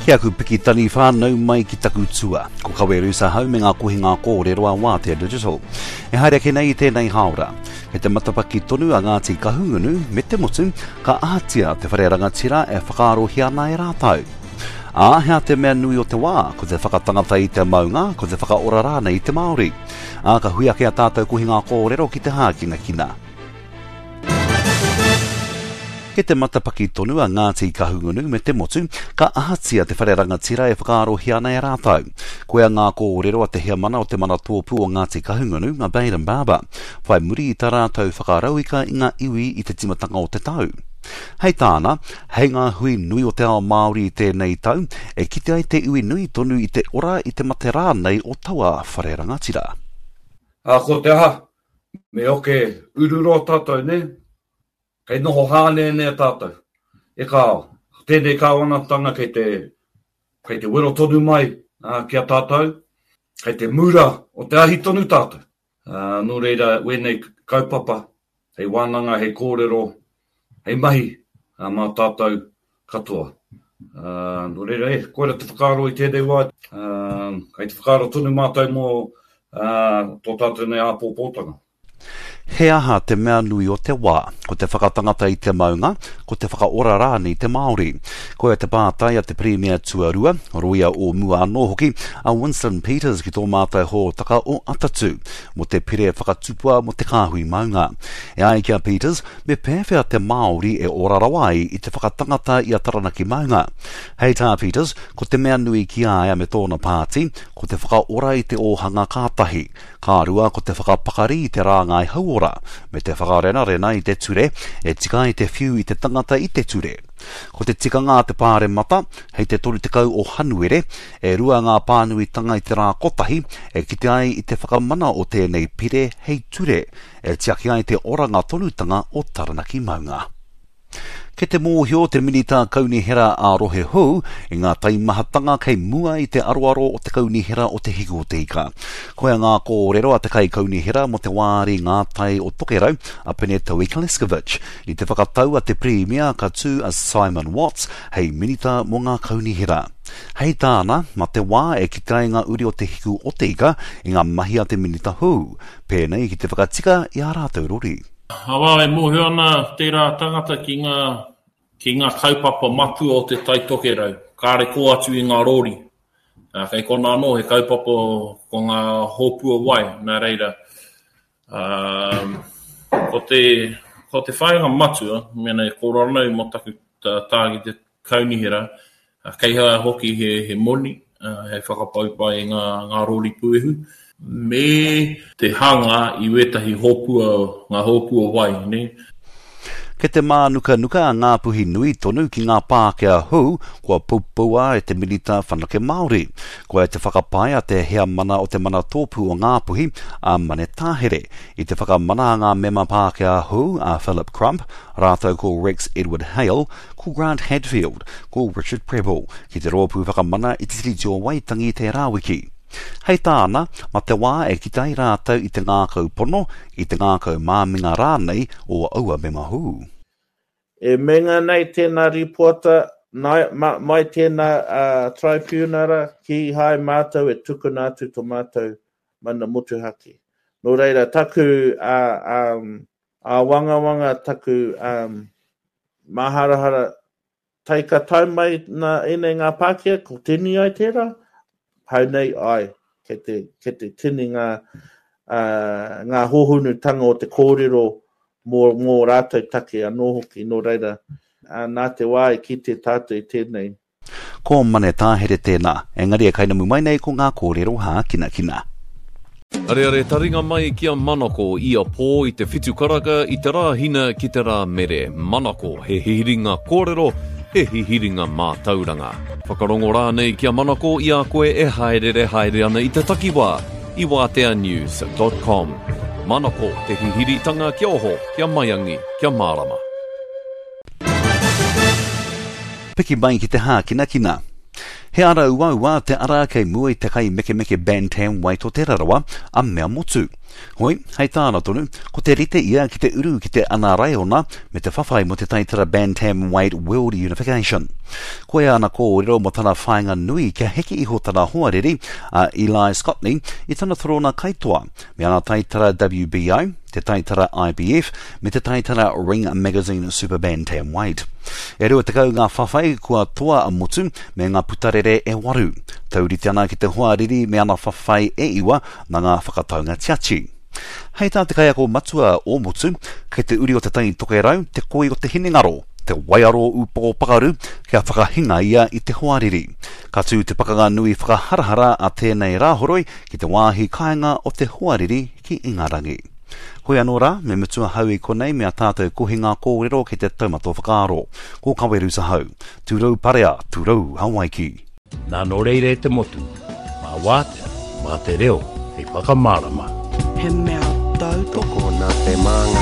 Ki aku piki taniwha, nau mai ki taku tua. Ko Kawe Rusa hau me ngā kohinga kōrero a Wātea Digital. E haere ake nei i tēnei hāora. Kei te matapaki tonu a Ngāti Kahungunu me te motu, ka ahatia te whare rangatira e whakaarohia ana e rātou. Ā, hea te mea nui o te wā, ko te whakatangata i te maunga, ko te whakaora rānei i te Māori. Ā, ka hui ake a tātou kohinga kōrero ki te hākinakina. Kei te matapaki tonu a Ngāti Kahungunu me te motu, ka ahatia te whare rangatira e whakaarohia ana e rātou. Koia ngā kōrero a te heamana o te Manatōpū o Ngāti Kahungunu, a Bayden Barber, whai muri i tā rātou whakarauika i ngā iwi i te timatanga o te tau. Hei tāna, hei ngā hui nui o te ao Māori i tēnei tau, e kite ai te iwi nui tonu i te ora i te mate rānei o taua whare rangatira. Ā, ko te aha, Me oke ururoa tātou, nē? Kei noho hāneanea tātou. E kāo, ko tēnei kāwanatanga kei te, kei te wero tonu mai ki a tātou, kei te mura o te ahi tonu tātou. Nō reira, wēnei kaupapa, hei wānanga, hei kōrero, hei mahi mā tātou katoa. Nō reira, e, koira te whakaaro i tēnei wā, kei te whakaaro tonu mātou mō tō tātou nei āpōpōtanga. He aha te mea nui o te wā? Ko te whakatangata i te maunga, ko te whakaora rānei i te Māori? Koia te pātai a te Pirimia Tuarua, rōia o mua anō hoki, a Winston Peters ki tō mātou hōtaka o Atatū, mō te pire whakatupua mō te kāhui maunga. E ai ki a Peters, Me pēwhea te Māori e ora rawa ai i te whakatangata i a Taranaki maunga? Hei tā Peters, ko te mea nui ki a ia me tōna pāti, ko te whakaora i te ōhanga ka tahi, ka rua ko te whakapakari i te rāngai hauora, me te whakarenarena i te ture e tika ai te whiu i te tangata i te ture. Ko te tikanga a te Pāremata, hei te 30 o Hanuere, e rua ngā pānuitanga i te rā kotahi e kite ai i te whakamana o tēnei pire hei ture, e tiaki ai te oranga tonutanga o Taranaki maunga. Kei te mōhio te Minita Kaunihera ā-Rohe hou i ngā taimahatanga kei mua i te aroaro o te Kaunihera o Te Hiku o Te Ika. Koia ngā kōrero a te Kaikaunihera mō te wāri Ngā Tai o Tokerau, a Penetaui Kleskovic, i te whakatau a te Pirimia ka tū a Simon Watts hei Minita mō ngā Kaunihera. Hei tāna, mā te wā e kite ai ngā uri o Te Hiku o Te Ika i ngā mahi a te Minita hou, pēnei ki te whakatika i ā rātou rori. Arā, e mōhio ana tērā tangata ki ngā, ki ngā kaupapa matua o Te Tai Tokerau, kāre kō atu i ngā rori. Ā, kei konā anō he kaupapa ko ngā hōpua wai, nā reira, ā, ko te, ko te whāinga matua, mēnā e kōrero ana au mō taku tā ki te kaunihera, kei hea hoki he, he moni hei whakapaupai i ngā, ngā rori puehu, me te hanga i wētahi hōpua, ngā hōpua wai, nē. Kei te mānukanuka a Ngāpuhi nui tonu ki ngā Pākehā hou kua poupoua e te Minita Whanake Māori. Koia te whakapae a te Heamana o te Manatōpū o Ngāpuhi, a Mane Tāhere, i te whakamana a ngā mema Pākehā hou a Philip Crump rātou ko Rex Edward Hale, ko Grant Hadfield, ko Richard Prebble, ki te Rōpū Whakamana i te Tiriti o Waitangi tērā wiki. Hei tāna, ma te wā e kite ai rātou i te ngākau pono, i te ngākau māminga rānei o aua mema hou. E meinga nei tēnā rīpoata, mai tēnā Traipiunara, kīhai mātou e tukuna atu to mātou mana motuhake. Nō reira, taku Āwangawanga taku māharahara tai ka tae mai nā ēnei ngā Pākehā, ko tini ai tērā? Hau nei, āe, kei te, kei te tini ngā, ngā hōhonutanga o te kōrero mō, mō rātou take anō hoki, nō reira, nā te wā i kite tātou i tēnei. Ko Mane Tāhere tēnā, engari e kainamu mai nei ko ngā kōrero hākinakina. Areare taringa mai ki a Manako ia pō i te whitu karaka i te Rāhina ki te Rāmere. Manako, he hihiringa kōrero, he hihiringa mātauranga. Whakarongo rānei ki a Manako i a koe e hāereere haere ana i te takiwā i wāteanews dot com. Manako, te hihiritanga kia oho, kia maiangi, kia mārama. Piki mai ki te hākinakina. He ara uaua te ara kei mua i te kaimekemeke bantamweight o Te Rarawa, a Mea Motu. Hoi, hei tāna tonu, ko te rite ia ki te uru ki te ana raiona me te whawhai mō te taitara Bantamweight World Unification. Koia ana kōrero mō tana whāinga nui kia heke iho tana hoariri, a Eli Scotney, i tana torona kaitoa, me ana taitara WBO, te taitara IBF, me te taitara Ring Magazine Super Bantamweight. E 20 ngā whawhai kua toa a Motu me ngā putarere e waru. Taurite ana ki te hoariri me ana whawhai e iwa nā ngā whakataunga tiati. Hei tā te kaiako matua o Motu, kei te uri o Te Tai Tokerau te koi o te hinengaro, te waiaro ūpoko pakaru kia whakahinga ia i te hoariri. Ka tū te pakanga nui whakaharahara a tēnei Rāhoroi ki te wāhi kāinga o te hoariri ki Ingarangi. Hoi anō rā, me mutu ahau i konei me a tātou kohinga kōrero ki te taumata whakaaro. Ko Kawerusa Hau. Tūrou parea, tūrou Hawaiki. Nā nō reira e te motu, mā wātea, mā te reo hei whakamārama. He mea tautoko. Tokona te māngai.